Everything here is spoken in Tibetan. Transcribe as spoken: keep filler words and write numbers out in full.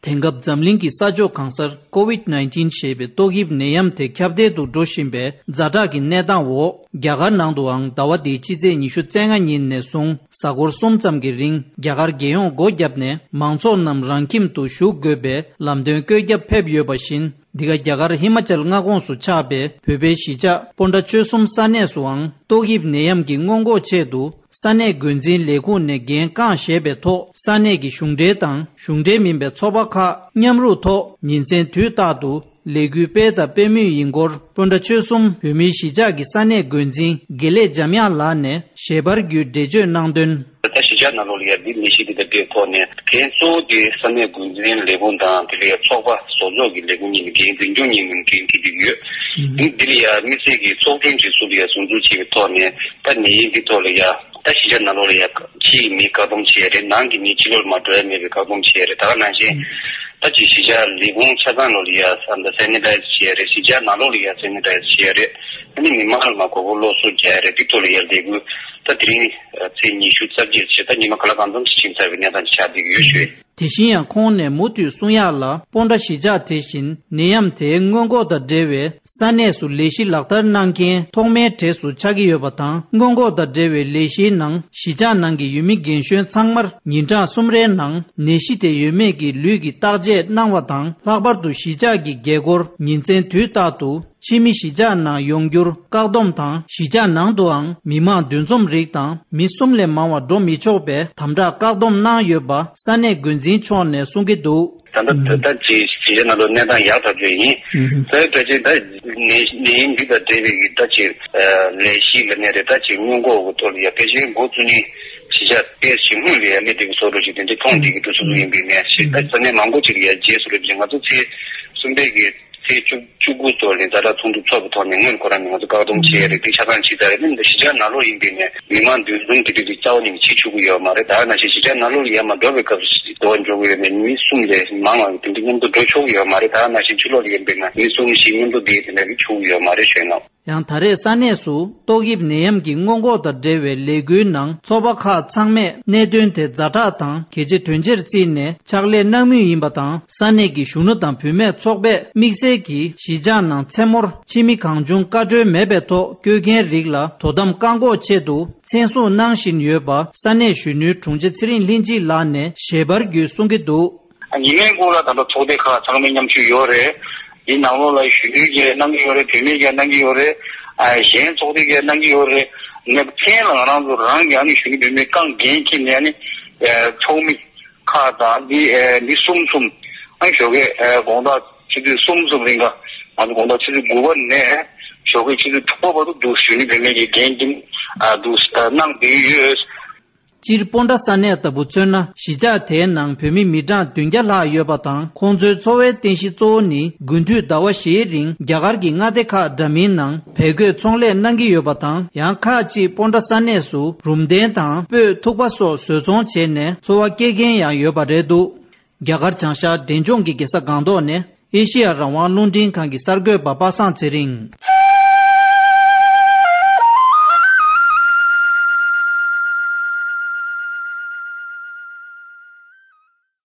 དེང་སྐབས་འཛམ་གླིང་གི་ས་ཕྱོགས་གང་སར་ཀོ་ཝིད་ནའིན་ཊིན་ཞེས་པའི་ཏོག་དབྱིབས་ནད་ཡམས་དེ་ཁྱབ་གདལ་དུ་འགྲོ་བཞིན་པའི་ཛ་དྲག་གི་གནས་སྟངས་འོག་རྒྱ་གར་ནང་དུའང་ཟླ་བ་འདིའི་ཕྱི་ཚེས་ཉི་ཤུ་རྩ་ལྔ་ཉིན་ནས་བཟུང་གཟའ་འཁོར་གསུམ་ཙམ་གྱི་རིང་རྒྱ་གར་རྒྱལ་ཡོངས་སྒོ་བརྒྱབ་ནས་མང་ཚོགས་རྣམས་རང་ཁྱིམ་དུ་བཞུགས་དགོས་པའི་ལམ་སྟོན་བཀོད་ཁྱབ་ཕེབས་ཡོད་པ་བཞིན། འདི་ག་རྒྱ་གར་ཧི་མ་ཅལ་མངའ་ཁོངས་སུ་ཆགས་པའི་བོད་པའི་གཞིས་ཆགས་སྤོན་ཊ་ཆོལ་གསུམ་ས་གནས་སུའང་ཏོག་དབྱིབས་ནད་ཡམས་ཀྱི་སྔོན་འགོག་ཆེད་དུ་ས་གནས་འགོ་འཛིན་ལས་ཁུངས་ནས་འགན་རྐང་བཞེས་པའི་ཐོག་ས་གནས་ཀྱི་གཞུང་འབྲེལ་དང་གཞུང་འབྲེལ་མིན་པའི་ཚོགས་པ་ཁག་མཉམ་རུབ་ཐོག་ཉིན་མཚན་དུས་རྟག་ཏུ་ལས་འགུལ་སྤེལ་དང་སྤེལ་མུས་ཡིན་སྐོར་སྤོན་ཊ་ཆོལ་གསུམ་བོད་མིའི་གཞིས་ཆགས་ཀྱི་ས་གནས་འགོ་འཛིན་དགེ་ལེགས་འཇམ་དབྱངས་ལགས་ནས་ཞལ་པར་བརྒྱུད་འགྲེལ་བརྗོད་གནང་དོན། ད་གཞིས་ཆགས་ནང་ལོགས་ལ་ཡ་འདི་ནད་གཞི་འདི་དང་འབྲེལ་ཐོག་ནས་འགན་གཙོ་བོ་དེ་ས་གནས་འགོ་འཛིན་ལས་ཁུངས་དང་དེ་ལ་ཡ་ཚོགས་པ་བཟོ་ཚོགས་ཀྱི་ལས་ཁུངས་གཉིས་ནས་འགན་འཛིན་སྐྱོང་གཉིས་ནས་འགན་འཁྱེར་གྱི་ཡོད། འདི་འདི་ལ་ཡ་དམིགས་བསལ་གྱི་ཚོགས་ཆུང་གཅིག་བཟོས་ཏེ་ཡ་ཟུར་འཛུགས་བྱས་པའི་ཐོག་ནས་ད་ནད་ཡམས་འདི་ཐོག་ལ་ཡ་ད་གཞིས་ཆགས་ནང་ལོགས་ལ་ཡ་ཕྱི་ཡི་མི་བཀག་སྡོམ་བྱས་རེད། ནང་གི་མི་ཕྱི་ལོགས་ལ་མ་འགྲོ་ཡ་མེད་པའི་བཀག་སྡོམ་བྱས་རེད། ད་ག་ནང་བཞིན་ད་ཅིག་གཞིས་ཆགས་ལས་ཁུངས་ཆ་ཚང་ལོགས་ལ་ཡ་ས་ད་སེ་ནི་ཊའི་ཛར་བྱས་རེད། གཞིས་ཆགས་ནང་ལོགས་ལ་ཡ་སེ་ནི་ཊའི་ཛར་བྱས་རེད། ཨ་ནི་མི་མང་ལ་མ་མགོ་སྐོར་སློབ་གསོ་རྒྱག་ཡ་རེད། འདི་ཐོག་ལ་ཡ་ལས་འགུལ་ད་དེ་རིང་ཚེས་ཉི་ཤུ་རྩ་བརྒྱད་བྱས་ད་ཉི་མ་ག་ལ་གང་འཚམ་ཞིག་ཕྱིན་ཚར་བའི་གནས་སྟངས་ཅིག་ཆགས་བསྡད་ཀྱི་ཡོད་ཞུ། དེ་བཞིན་ཡང་ཁོང་ནས་མུ་མཐུད་གསུང་ཡག་ལ་སྤོན་ཊ་གཞིས་ཆགས་དེ་བཞིན་ནད་ཡམས་དེའི་སྔོན་འགོག་དང་འབྲེལ་བའི་ས་གནས་སུ་ལས་གཞི་ལག་བསྟར་གནང་མཁན་ཐོག་མའི་གྲས་སུ་ཆགས་ཀྱི་ཡོད་པ་དང་། སྔོན་འགོག་དང་འབྲེལ་བའི་ལས་གཞིའི་ནང་གཞིས་ཆགས་ནང་གི་ཡུལ་མི་རྒན་གཞོན་ཚང་མར་ཉིན་གྲངས་གསུམ་རེའི་ནང་ནད་གཞི་དེ་ཡོད་མེད་ཀྱི་ལུས་ཀྱི་བརྟག་དཔྱད་གནང་བ་དང་། ལྷག་པར་དུ་གཞིས་ཆགས་ཀྱི་རྒྱལ་སྒོར་ཉིན་མཚན་དུས་རྟག་ཏུ་ཕྱི་མི་གཞིས་ཆགས་ནང་ཡོང་རྒྱུར་བཀག་སྡོམ་དང་། གཞིས་ཆགས་ནང་དུའང་མི་མང་འདུ་འཛོམས་རིགས་དང་མི་གསུམ་ལས་མང་བ་འགྲོ་མི་ཆོག་པའི་དམ་དྲག་བཀག་སྡོམ་གནང་ཡོད་པ་ས་གནས་འགོ་འཛིན་མཆོག་ནས་གསུང་གི་འདུག། ད་ལྟ་ད་ལྟ་ཅིག་གཞིས་ཆགས་ནང་ལ་གནས་སྟངས་ཡག་ཐག་ཆོད་ཡིན། ད་ལྟ་ཅིག་ད་ནད་ནད་ཡམས་འདི་དང་འབྲེལ་བའི་གི་ད་ཅིག་ལས་གཞི་ལ་ནས་རེད། ད་ཅིག་སྔོན་འགོག་གི་ཐོག་ལ་ཡ་ཕལ་ཆེར་འགོ་བཙུགས་ནས་གཞིས་ཆགས་དཔེ་ཞིབ་མོ་ལ་ཡ་སླེབས་བསྡད་ཀྱི་བཟོ་འདྲ་ཞིག་དེ་འདྲ་མཐོང་བསྡད་ཀྱི་འདུག་སོ་སོ་ཡིན་པའི་ནས་ཞེས། ད་ས་གནས་མང་པོ་ཅིག་ལ་ཡ་རྗེས་སུ་རེད་ཅིག་ང་ཚོ་ཚེས་གསུམ་པའི་གི་ཚེས་བཅུ་བཅུ་དགུ་ཐོག་ནས་ཛ་དྲག་ཚོགས་འདུ་ཚོགས་པའི་ཐོག་ནས་སྔོན་ཁོ་རང་ནས་ང་ཚོ་བཀག་སྡོམ་བྱས་རེད། དེ་ཆ་ཚང་བྱས་ཚར་རེད། ནི་འདི་གཞིས་ཆགས་ནང་ལོགས་ཡིན་པའི་ནས་མི་མང་འདུ་འཛོམས་དེ་འདྲ་དེ་རྩ་བ་ནས་བྱེད་ཆོག་གི་ཡོད་མ་རེད། ད་ནང་བཞིན་གཞིས་ཆགས་ནང་ལོགས་ལ་ཡར་མར་འགྲོ་བའི་སྐབས་སུ་འགྲོ་བ་འགྲོ་གི་ཡོད་མེད་མི་གསུམ་ལས་མང་བ་དེ་འདྲ་མཉམ་དུ་འགྲོ་ཆོག་གི་ཡོད་མ་རེད། ད་ནང་བཞིན་ཕྱི་ལོགས་ལ་ཡིན་པའི་ནས་མི་གསུམ་བཞི་མཉམ་དུ་བསྡད་དེ་འདྲ་གི་ཆོག་གི་ཡོད་མ་རེད་ཞུས་གནང་། ཡང་ད་རེས་ས་གནས་སུ་ཏོག་དབྱིབས་ནད་ཡམས་ཀྱི་སྔོན་འགོག་དང་འབྲེལ་བའི་ལས་འགུལ་ནང་ཚོགས་པ་ཁག་ཚང་མས་གནད་དོན་དེ་ཛ་དྲག་དང་གལ་ཆེ་དོན་ཆེར་བརྩིས་ནས་ཕྱག་ལས་གནང་མུས་ཡིན་པ་དང་། ས་གནས་ཀྱི་གཞོན་ནུ་དང་བུད་མེད་ཚོགས་པས་དམིགས་བསལ་གྱིས་གཞིས་ཆགས་ནང་མཚན་མོར་ཕྱི་མི་གང་བྱུང་བཀའ་འཁྲོལ་མེད་པའི་ཐོག་བསྐྱོད་མཁན་རིགས་ལ་དོ་དམ་བཀག་འགོག་ཆེད་དུ་མཚན་སྲུང་གནང་བཞིན་ཡོད་པ་ས་གནས་གཞོན་ནུའི་དྲུང་ཆེ་ཚེ་རིང་ལྷན་སྐྱིད་ལགས་ནས་ཞལ་པར་བརྒྱུད་གསུང་གི་འདུག། ཉི་མའི་འགོ་ལ་ད་ལྟ་ཚོགས་སྡེ་ཁག་ཚང་མའི་མཉམ་ཞུགས་ཡོད་རེད། འདི་ནང་ལོགས་ལ་གཞོན་ནུས་ཀྱིས་གནང་གི་ཡོད་རེད། བུད་མེད་ཀྱིས་གནང་གི་ཡོད་རེད། ཨ་གཞན་ཚོགས་སྡེ་གིས་གནང་གི་ཡོད་རེད། ནས་མཚན་ལ་ང་རང་ཚོ་རང་གི་ཨ་ནི་གཞོན་ནུ་བུད་མེད་རྐང་འགན་འཁྱེར་ནས་ཨ་ནི་ཚོགས་མི་ཁག་དང་འདི་འདི་གསུམ་གསུམ་ཨ་ནི་ཞོགས་ཀས་དགོང་དག་ཆུ་ཚོད་གསུམ་གསུམ་རིང་ག་ང་ཚོ་དགོང་དག་ཆུ་ཚོད་དགུ་པ་ནས་ཞོགས་ཀས་ཆུ་ཚོད་དྲུག་པ་བར་དུ་འདུག་གཞོན་ནུ་བུད་མེད་ཀྱི་འགན་འཁྱེར་འདུག་གནང་བསྡད་ཡོད། སྤྱིར་སྤོན་ཊ་ས་གནས་ལྟ་བུ་མཚོན་ན་གཞིས་ཆགས་དེའི་ནང་བོད་མི་མི་གྲངས་བདུན་བརྒྱ་ལྷག་ཡོད་པ་དང་། ཁོང་ཚོའི་འཚོ་བའི་རྟེན་གཞི་གཙོ་བོ་ནི་དགུན་དུས་ཟླ་བ་བཞིའི་རིང་རྒྱ་གར་གྱི་མངའ་སྡེ་ཁག་འདྲ་མིན་ནང་བལ་གོས་ཚོང་ལས་གནང་གི་ཡོད་པ་དང་། ཡང་ཁག་ཅིག་སྤོན་ཊ་ས་གནས་སུ་རུམ་གདན་དང་སྤོས་ཐུག་པ་སོགས་བཟོ་ཚོང་བྱས་ནས་འཚོ་བ་སྐྱེལ་མཁན་ཡང་ཡོད་པ་རེད་འདུག། རྒྱ་གར་བྱང་ཤར་འབྲས་ལྗོངས་ཀྱི་རྒྱལ་ས་སྒང་ཏོག་ནས་ཨེ་ཤེ་ཡ་རང་དབང་རླུང་འཕྲིན་ཁང་གི་གསར་འགོད་པ་པ་སངས་ཚེ་རིང་།